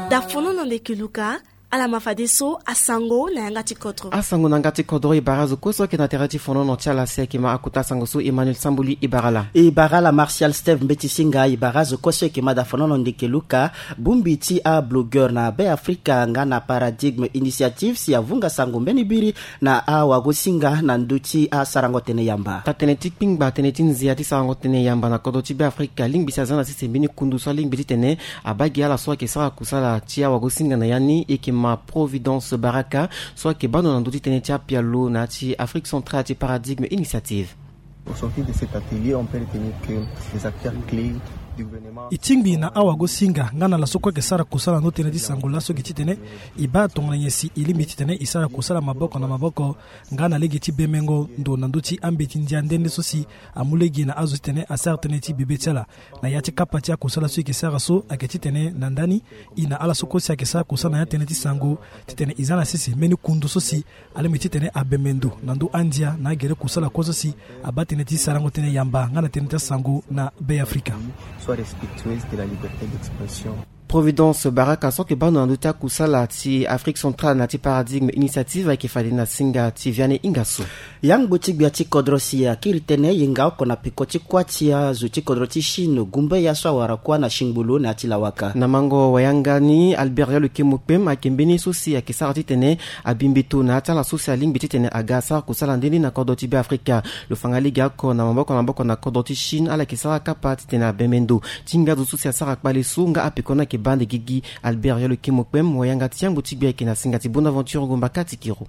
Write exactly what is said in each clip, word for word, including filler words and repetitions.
Dafonono ndeke luka. Ala ma fadeso asango na yanga ti kodro. Asango na yanga ti kodro e bara azo kue so ayeke na tere ti fonono ti ala si ayeke ma akota asango so Emmanuel Sambuli e bara ala. E bara ala Martial Steve Mbeti Singa e bara azo kue so ayeke ma dafonono ndeke luka. Bongbi ti ablogueur na Be Afrika nga na Paradigme Initiative si avunga sango mbeni biri na awagosinga na ndö ti asarango tënë yamba. Taa tënë ti kpingba tënë ti nzia ti sarango tënë yamba na kodro ti Be Afrika alingbi si aza na sese mbeni kundu so alingbi titene abaa gi ala so ayeke sara kusala ti awagosinga na ya ni, e yeke ma Providence Baraka so ayeke baa ndo na ndö ti tënë ti apialo na ya ti Afrique Centrale ti Paradigme Initiative. Au sortir de cet atelier, on peut retenir que les acteurs clés du gouvernement. E tingbi na awagosinga nga na ala so kue ayeke sara kusala na ndö tënë ti sango laso gi titene e baa tongana nyen si e lingbi titene e sara kusala maboko na maboko nga na lege ti bemengo ndo na ndö ti ambeti ndia nde nde so si amu lege na azo titene asara tënë ti bebe ti ala. Na ya ti kapa ti akusala so e yeke sara so ayeke titene na ndani e na ala so kue si ayeke sara kusala na ya tënë ti sango titene e za na sese mbeni kundu so si alingbi titene abembe ndo na ndö andia na agere kusala kue so si abaa tënë ti sarango tënë yamba nga na tënë ti asango na Be Afrika. Soit respectueuse de la liberté d'expression. Providence Baraka so ayeke baa ndo na ndö ti akusala ti Afrique Centrale na ti Paradigme Initiative ayeke fade na singa ti Vianney Ingasso. Yangbo ti gbia ti kodro si akiri tënë yenga oko na peko ti kuâ ti azo ti kodro ti Chine gumbe ya so awara kuâ na singbolo na ya ti lawaka. Na mango wayanga ni Albert Yalo Kemo Kpem ayeke mbeni so si ayeke sara titene abi mbeto na ya ti ala so si alingbi titene aga asara kusala nde ni na kodro ti Be Afrika. Lo fa nga lege oko na maboko na maboko na kodro ti Chine ala yeke sara kapa titene abembe ndo ti nga zo so si asara kpale so nga apeko ni ayeke baa ande gigi. Albert Yalo Kemo Kpem wayanga ti yangbo ti gbia ayeke na singa ti Bonaventure Ngomba Katikiro.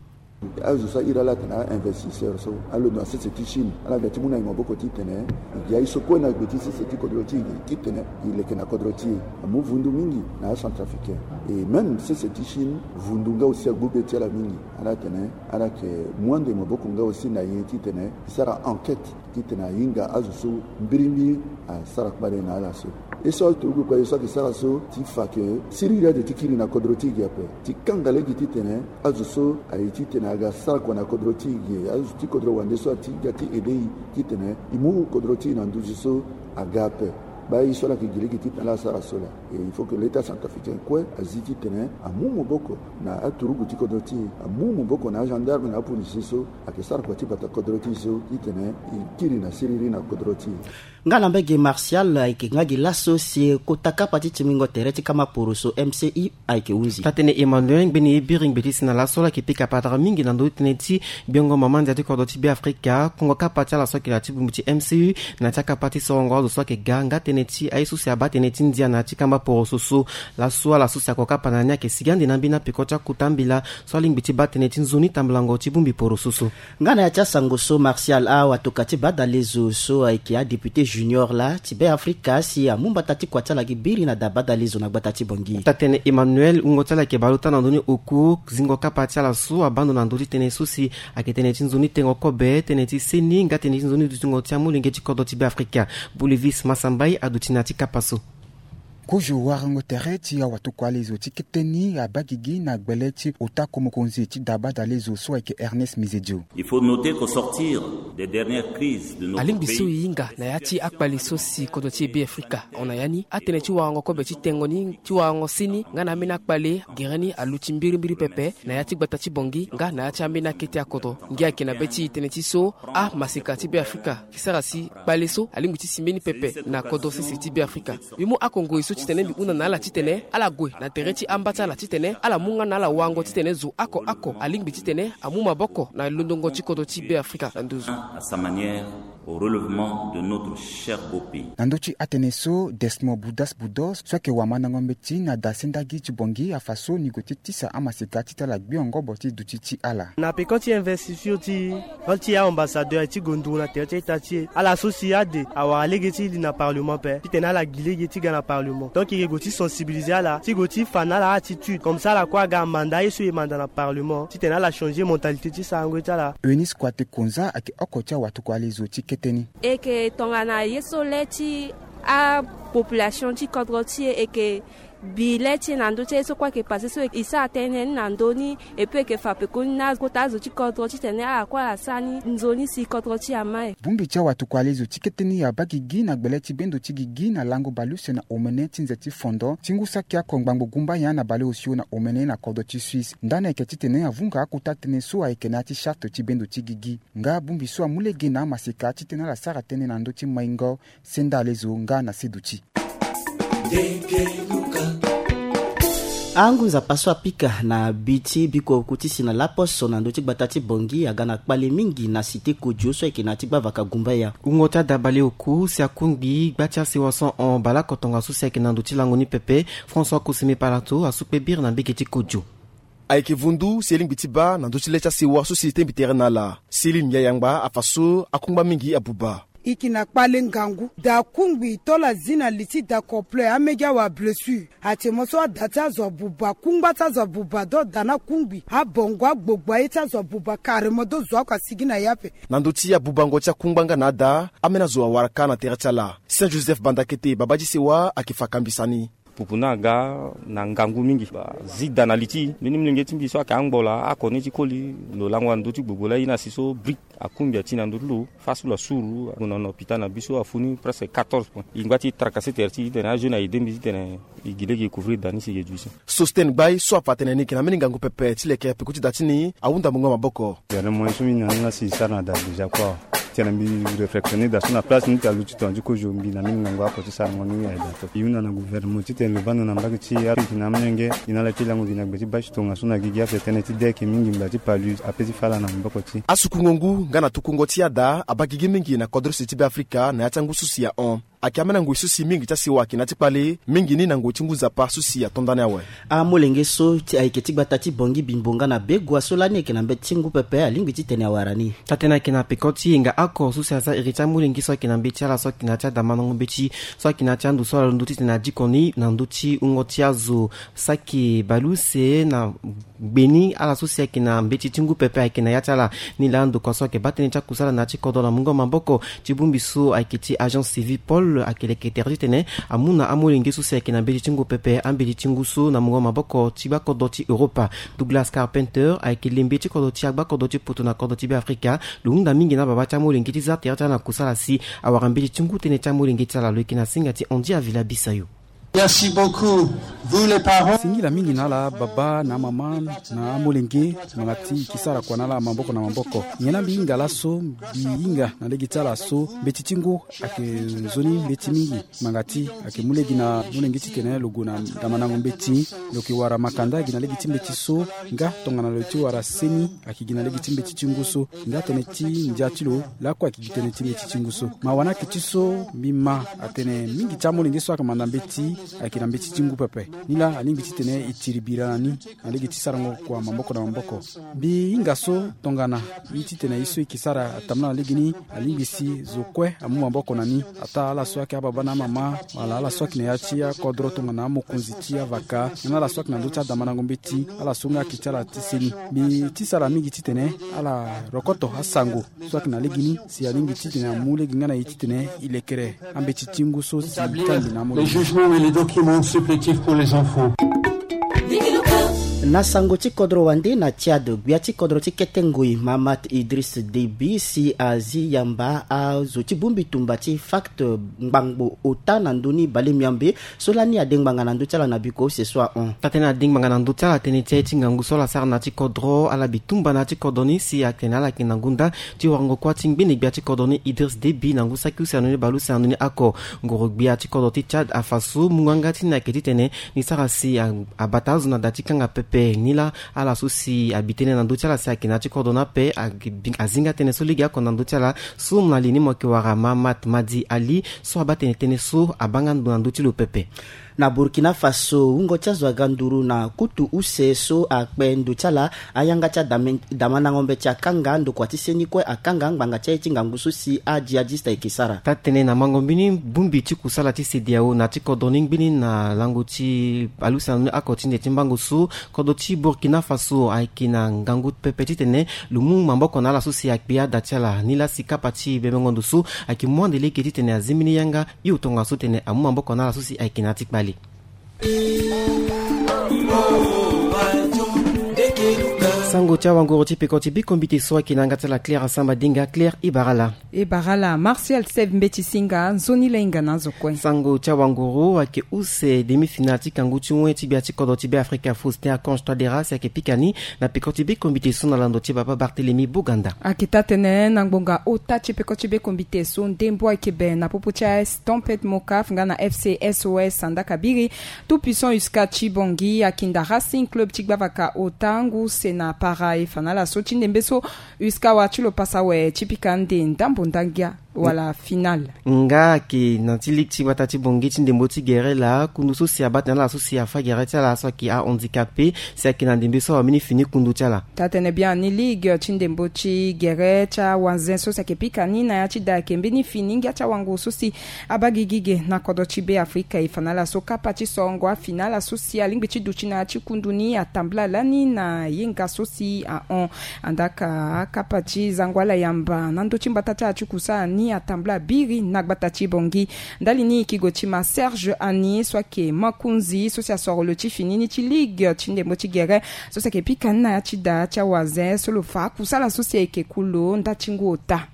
Azo so ahiri ala atene a-investisseur so alondo na sese ti Chine ala ga ti mu na e maboko titene e gi aye so kue na gbe ti sese ti kodro ti e gi titene e leke na kodro ti e. Amu vundu mingi na acentrafricain. E même sese ti Chine vundu nga aussi agbu be ti ala mingi. Ala tene ala yeke mu ande maboko nga aussi na e titene e sara enquête titene ahinga azo so mbirimbiri asara kpale na ala so. E so aturugu kpale so ayeke sara so ti fa ke siriri ade ti kiri na kodro ti e gi ape. Ti kanga lege titene azo so aye titene aga sara kua na kodro ti e gi, azo ti kodro wande so ati ga ti aide e titene e mu kodro ti e na nduzu so aga ape. Baa ye so ala yeke gi lege titene ala sara so laa. E il faut que l'État centrafricain kue azi titene amu maboko na aturugu ti kodro ti e, amu maboko na agendarme na apolisier so ayeke sara kua ti bata kodro ti e so titene e kiri na siriri na kodro ti e. Nga na mbage Martial ayeke nga gi laso si e kota kapa ti tingbingo tere ti kama poroso M C U ayeke hunzi. Taa tënë Emmanuel ngbeni ye biri ngbe ti si na laso ala yeke pika patara mingi na ndö ti tënë ti gbiongo mama ndia ti kodro ti Be Afrika. Kongo kapa ti ala so ayeke na ya ti bongbi ti M C U na ya ti akapa ti sorongo azo so ayeke ga nga tënë ti aye so si abaa tënë ti ndia na ya ti kamba poroso so. Laso ala so si ako kapa na ni ayeke sigi ande na ambeni apeko ti akota mbela so alingbi ti baa tënë ti nzoni tambulango ti bongbi poroso so. Nga na ya ti asango so Martial awatoka ti badalezo so ayeke adéputé junior laa ti Be Afrika si amu mbata ti kua ti ala gi biri na da badalezo na gbata ti Bangui. Taa tënë Emmanuel wungo ti ala ayeke baleota na ndö ni oko zingo kapa ti ala so abaa ndo na ndö ti tënë so si ayeke tënë ti nzoni tengo kobe, tënë ti seni nga tënë ti nzoni dutingo ti amolenge ti kodro ti Be Afrika. Bolivis Masambai aduti na ya ti kapa so. Kozo warango tere ti awatokua lezo ti kete ni abaa gigi na gbele ti ota ko mokonzi ti da badalezo so ayeke Ernest Mizedio. Il faut noter qu'au sortir des dernières crises de notre pays, alingbi so e hinga na ya ti akpale so si kodro ti e Be Afrika ahon na ya ni, atënë ti warango kobe ti tengo ni, ti warango seni nga na ambeni akpale gere ni aluti mbirimbiri pepe na ya ti gbata ti Bangui nga na ya ti ambeni akete akodro. Ngia ayeke na be ti e tënë ti so amaseka ti Be Afrika ayeke sara si kpale so alingbi ti si mbeni pepe na kodro sese ti Be Afrika. Mbi mu oko ngoi so titene mbi hunda na ala titene ala gue na tere ti amba ti ala titene ala mu nga na ala wango titene zo oko oko alingbi titene amu maboko na londongo ti kodro ti Be Afrika na nduzu. À sa manière, au relèvement de notre cher beau pays. Na ndö ti atënë so, Desmond Boudas Boudos so ayeke wamandango mbeti na da sendagi ti Bangui afa so ni gue ti tisa amaseka ti tala gbio ngobo ti duti ti ala. Na peko ti investiture ti e, ti aambassadeur ti gonduru na tere ti a-ita ti e, ala so si ade awara lege ti li na parlement ape titene ala gi lege ti ga na parlement. Donc e yeke gue ti sensibiliser ala, ti gue ti fa na ala attitude comme ça ala kue aga amanda aye so e manda na parlement titene ala changer mentalité ti sarango ye ti ala. Eunice Kouate Konza ayeke oko ti awatokua lezo ti kete ni. E yeke tongana ye so le ti apopulation ti kodro ti e, e yeke Bi le ti e na ndö ti aye so kue ayeke pase so e sara tënë ni na ndö ni. E peut e yeke fa pekoni na kota azo ti kodro titene ala kue ala sara ni nzoni si kodro ti e ama e. Bongbi ti awatuku-ale zo ti kete ni abaa gigi na gbele ti bendo ti gigi na lango baleuse na omene ti nze ti fondo ti ngu saki oko ngbangbo gumba nyen na baleosio na omene na kodro ti Suisse. Ndani ayeke titene avunga akota tënë so ayeke na ya ti charte ti bendo ti gigi. Nga bongbi so amu lege na amaseka titene ala sara tënë na ndö ti maingo. Senda ale zo nga na seduti. Angu nzapa so apika na bi ti bikua oku ti si na laposo na ndö ti gbata ti Bangui aga na kpale mingi na cité Kodjo so ayeke na ya ti gbavaka Gumbaya. Wungo ti ada baleoku si akungbi gba ti asewa so hon baleoko tongaso si ayeke na ndö ti lango ni pepe. François Koseme Palato asu kpe biri na mbege ti Kodjo. Ayeke vundu si e lingbi ti baa na ndö ti le ti asewa so si e tengbi tere na ala. Céline Yayangba afa so akungba mingi abuba. E yeke na kpale ngangu, da akungbi tolo azi na li ti da complet amege awa blessure. Ate mo so ada ti azo abuba, kungba ti azo abuba do da ni akungbi abongo agbogbo aye ti azo abuba carrément do zo oko asigi na ya ape. Na ndö ti abubango ti akungba nga na ada, ambeni azo awara kâ na tere ti ala. Saint Joseph Bandakete, babâ ti sewa, ayeke fa kambisa ni. Pupu ni aga na ngangu mingi. Ba zi da na li ti mbeni molenge ti mbi so ayeke angbola oko ni ti koli. Lo lango na ndö ti gbogbo laa e na si so brique akungbi ati na ndö ti lo. Fa so lo asuru ague na hôpital na biso afu ni presque quatorze points. E ngba ti tracassé tere ti e titene ajeune aide mbi titene e gi lege e couvrir da ni si e gi e duti. Sostène Gbaye so afa atene ni yeke na mbeni ngangu pepe ti leke peko ti da ti ni, ahunda mungo maboko. Gouvernement so mbi na ni la si e sara na da déjà kua. Titene mbi réflexionner da so na place ni ti aluti tonga ti kozo mbi na mbeni ngangu oko ti sarango ni aye da to. E hunda na gouvernement titene lo baa ndo na mbage ti Afrique na amolenge. E na ala ti lango gi na gbe ti bâche tongaso na gigi ape tënë ti de ayeke mingi ngba ti palu ape ti fa ala na maboko ti e. Asukungo ngu nga na tukungo ti ada abaa gigi mingi na kodro use ti Beafrika na ya ti angu so si ahon. Ayeke ambeni angoi so si mingi ti asewa ayeke na ya ti kpale mingi ni na ngoi ti ngu nzapa so si ato ndani awe. Amolenge so ti ayeke ti gbata ti Bangui, Bimbo nga na Begua so lani ayeke na mbeti ti ngu pepe alingbi titene awara ni. Taa-tënë ayeke na peko ti yenga oko so si aza iri ti amolenge so ayeke na mbeti ti ala so ayeke na ya ti adamandango mbeti so ayeke na ya ti ando so ala londo titene adiko ni na ndö ti wungo ti azo saki baleuse na gbe ni ala so si ayeke na mbeti ti ngu pepe ayeke na ya ti ala. Ni laa ndokua so ayeke baa tënë ti akusala na ya ti kodro na mungo maboko ti bongbi so ayeke ti Agence Civil Paul ayeke leke tere titene amu na amolenge so si ayeke na mbeti ti ngu pepe ambeti ti ngu so na mungo maboko ti gbakodro ti Europa. Douglas Carpenter ayeke lembe ti kodro ti agbaa kodro ti poto na kodro ti Beafrika. Lo hunda mingi na babâ ti amolenge ti za tere ti ala na kusala si awara mbeti ti ngu tënë ti amolenge ti ala. Lo yeke na singa ti Andy Avila Bisayo. Merci beaucoup, vous les parents. Singila mingi na ala babâ na amama na amolenge ngbanga ti e ke sara kua na ala maboko na maboko. Nyen na mbi hinga laso, mbi hinga na lege ti ala so mbeti ti ngu ayeke nzoni mbeti mingi. Ngbanga ti e ayeke mu lege na molenge titene lo gue na damandango mbeti. Lo yeke wara makanda gi na lege ti mbeti so nga tongana lo ye ti wara seni ayeke gi na lege ti mbeti ti ngu so. Nga tënë ti ndia ti lo lakue ayeke gi tënë ti mbeti ti ngu so. Ma wani akiti so mbi ma atene mingi ti amolenge so ayeke manda mbeti ayeke na mbeti ti ngu pepe. Ni laa alingbi titene e tiri bira na ni na lege ti sarango kua maboko na maboko. Mbi hinga so tongana ye titene ye so e ke sara atambula na legeni alingbi si zo kue amu maboko na ni. Ataa ala so ayeke ababâ na amama wala ala so ayeke na ya ti akodro tongana amokonzi ti avaka nga na ala so ayeke na ndö ti adamandango mbeti, ala so nga ayeke ti ala ti seni. Mbi ti sara mingi titene ala rokoto asango so ayeke na legeni si alingbi titene amu lege nga na e titene e lekere ambeti ti ngu so si e kangbi na amolenge. Les jugements et les documents supplétifs pour les enfants. Na sango ti kodro wande na Tchad, gbia ti kodro ti kete ngoi Mahamat Idriss Déby si azi yamba azo ti bongbi tumba ti FACT ngbangbo ota na ndö ni bale miambe so lani ade ngbanga na ndö ti ala na biko use so ahon. Taa-tënë ade ngbanga na ndö ti ala tënë ti aye ti ngangu so ala sara na ya ti kodro, ala bi tumba na ya ti kodro ni si atene ala yeke na ngonda ti warango kuâ ti ngbene gbia ti kodro ni Idriss Déby na ngu saki use na ndö ni bale use na ndö ni oko. Ngoro-gbia ti kodro ti Tchad afa so mungo yanga ti ni ayeke titene ni sara si a, abata azo na da ti kanga pepe. Ni laa ala so si abi tënë na ndö ti ala si ayeke na ya ti kodro ni ape, a, azi nga tënë so legeoko na ndö ti ala. So mo na li ni mo yeke wara Mahamat Madi Ali so abaa tene tënë so abaa nga ndo na ndö ti lo pepe. Na Burkina Faso, wungo ti azo aga nduru na kutu use so akpe ndo ti ala, ayanga ti adame, damandango mbeti akanga, ndokua ti seni kue akanga ngbanga ti aye ti ngangu so si ajihadiste ayeke sara. Taa-tënë na mango mbeni bongbi ti kusala ti CEDEAO na ya ti kodro ni ngbeni na lango ti bale use na ndö ni oko ti nze ti mbango so, kodro ti Burkina Faso ayeke na ngangu pepe titene lo mu maboko na ala so si akpe ada ti ala. Ni laa si kapa ti bembengo ndo so ayeke mu ande lege titene azi mbeni yanga hio tongaso titene amu maboko na ala so si ayeke na ya ti kpale. Sango ti awanguru ti peko ti biko mbite so ayeke na yanga ti ala Claire Asamba Dinga. Claire, e bara ala. E bara ala Martial Seve Mbeti Singa, nzoni la hinga na azo kue. Sango ti awanguru ayeke use demi-finale ti kangu ti wen ti gbia ti kodro ti Beafrika Faustin Archange Touadéra si ayeke pika ni na peko ti biko mbite so na lando ti baba Barthélemy Boganda. Ayeke taa-tënë na ngbonga ota ti peko ti biko mbite so ndembo ayeke be na popo ti A S Tempête Mocaf nga na F C S O S Andaka Biri. Tout Puissant Usca ti Bangui akinda Racing Club ti Gbavaka ota ngu use na para. E fa na ala so ti ndembe so Usca wara ti lo pasa awe ti pika ande ndambo ndangia wala finale. Nga ayeke na ti ligue ti gbata ti Bangui ti ndembo ti gere laa, kundu so si abaa tënë na ala so si afa gere ti ala so ayeke ahandicapé si ayeke na ndembe so awamini fini kundu ti ala. Taa-tënë biani ligue ti ndembo ti gere ti awanze so si ayeke pika ni na ya ti da ayeke mbeni fini ngia ti awanguru so si abaa gigi ge na kodro ti Beafrika. E fa na ala so kapa ti sorongo afinale so si alingbi ti duti na ya ti kundu ni atambula lani na yenga so si ahon. Andaka akapa ti zango ala yamba na ndö ti mbata ti ala ti kusala ni atambula biri na gbata ti Bangui. Ndali ni e yeke gue ti ma Serge Ani so ayeke makonzi so si asoro lo ti fini ni ti ligue ti ndembo ti gere so si ayeke pika ni na ya ti da ti awanze so lo fa akusala so si ayeke ku lo nda ti ngu ota.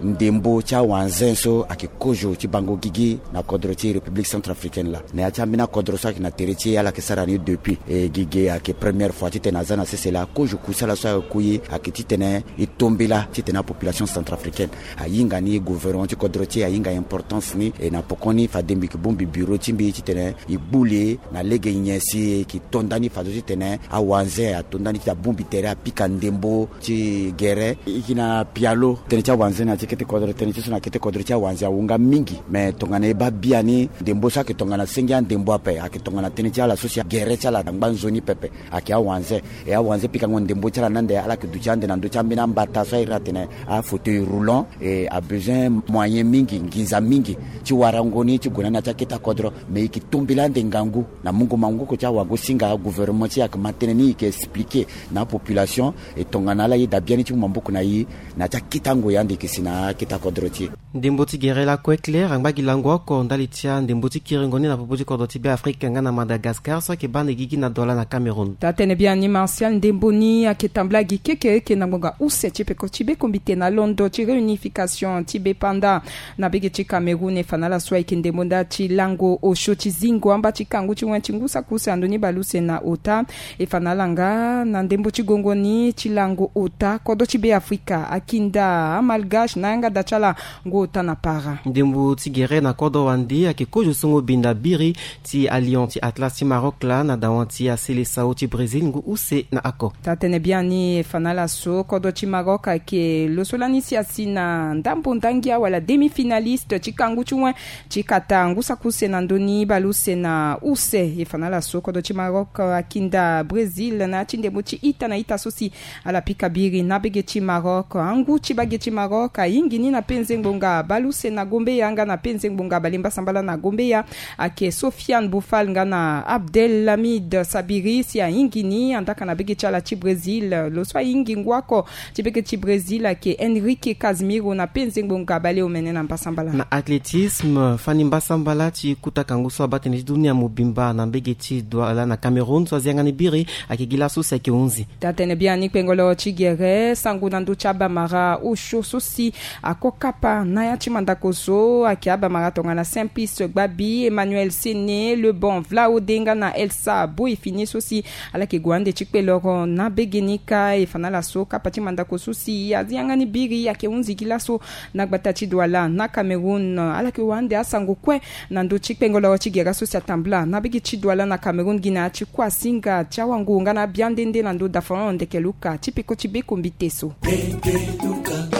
Ndembo ti awanze so ayeke kozo ti bango gigi na kodro ti République Centrafricaine laa. Na ya ti ambeni akodro so ayeke na tere ti e ala yeke sara ni depuis. E gigi ayeke première fois titene aza na sese laa. Kozo kusala so ayeke ku e ayeke titene e tombela titene apopulation centrafricaine ahinga ni gouvernement ti kodro ti e ahinga importance ni. E na pokoni fade mbi yeke bongbi bureau ti mbi titene e gbu li e na lege nyen si e yeke to ndani fadeso titene awanze ato ndani ti abongbi tere apika ndembo ti gere. E yeke na pialo tënë ti awanze na ya ti kete kodro, tënë ti so na kete kodro ti awanze awu nga mingi. Me tongana e baa biani ndembo so ayeke tongana senge andembo ape ayeke tongana tënë ti ala so si agere ti ala na ngba nzoni pepe. Ayeke awanze. E awanze pikango ndembo ti ala ni ande ala yeke duti ande na ndö ti ambeni ambata so a iri atene afauteuil roulant. E abezoin moyen mingi, nginza mingi ti warango ni ti gue na ni na ya ti akete akodro. Me e yeke tombela ande ngangu na mungo mangoko ti awagosinga. Gouvernement ti e ayeke ma tënë ni e yeke expliquer na apopulation. E tongana ala yeda biani ti mu maboko na e na ya ti akete ango e ande e yeke si na akete akodro ti e. Ndembo ti gere lakue Claire angba gi lango oko ndali ti andembo ti kiringo ni na popo ti kodro ti Beafrika nga na Madagascar so ayeke baa ande gigi na Douala na Cameroun. Taa-tënë biani Martial, ndembo ni ayeke tambula gi kekereke na ngbonga use ti peko ti bekombite na londo ti réunification ti bepanda na bege ti Cameroun. E fa na ala so ayeke ndembo nda ti lango osio ti zingo amba ti kangu ti wen ti ngu saki use na ndö ni baleuse na ota. E fa na ala nga na ndembo ti gongo ni ti lango ota kodro ti Beafrika akinda amalgache na yanga da ti ala ngu ota na para. Ndembo ti gere na kodro wande ayeke kozo so ngu binda biri ti alion ti Atlas ti Maroc laa na dawan ti asele sao ti Brésil ngu use na ako. Taa-tënë biani e fa na ala so kodro ti Maroc ayeke lo so lani si asi na ndambo ndangia wala demi-finaliste ti kangu ti wen ti kata ngu saki use na ndö ni baleuse na use. E fa na ala so kodro ti Maroc akinda Brésil na ya ti ndembo ti ita na ita so si ala pika biri na bege ti Maroc. Angu ti bage ti Maroc ayingi ni na penze ngbonga baleuse na gombeya nga na penze ngbonga balembasambala na gombeya. Ayeke Sofiane Boufal nga na Abdelhamid Sabiri si ayingi ni andaka na bege ti ala ti Brésil. Lo so ayingi ngu oko ti bege ti Brésil ayeke Henrique Casimiro na penze ngbonga baleomene na mbasambala. Na athlétisme, fani mbasambala ti kuta kangu so abaa tënë ti dunia mobimba na mbege ti Douala na Cameroun so azi yanga ni biri ayeke gi laso si ayeke hunzi. Taa-tënë biani kpengolo ti gere sango na ndö ti abamara osio so si ako kapa na ya ti mandako so ayeke abamara tongana Simplice Gbabi, Emmanuel Sene, Lebon Vlaode nga na Elsa Boy fini so si ala yeke gue ande ti kpe loro na bege ni kâ. E fa na ala so kapa ti mandako so si azi yanga ni biri ayeke hunzi gi laso na gbata ti Douala na Cameroun. Ala yeke wande asango kue na ndö ti kpengolo ti gere so si atambula na bege ti Douala na Cameroun gi na ya ti kuasinga ti awango nga na abiande nde na ndö dafon ndeke luka ti peko ti bekombite so. Peko ti bekombite so.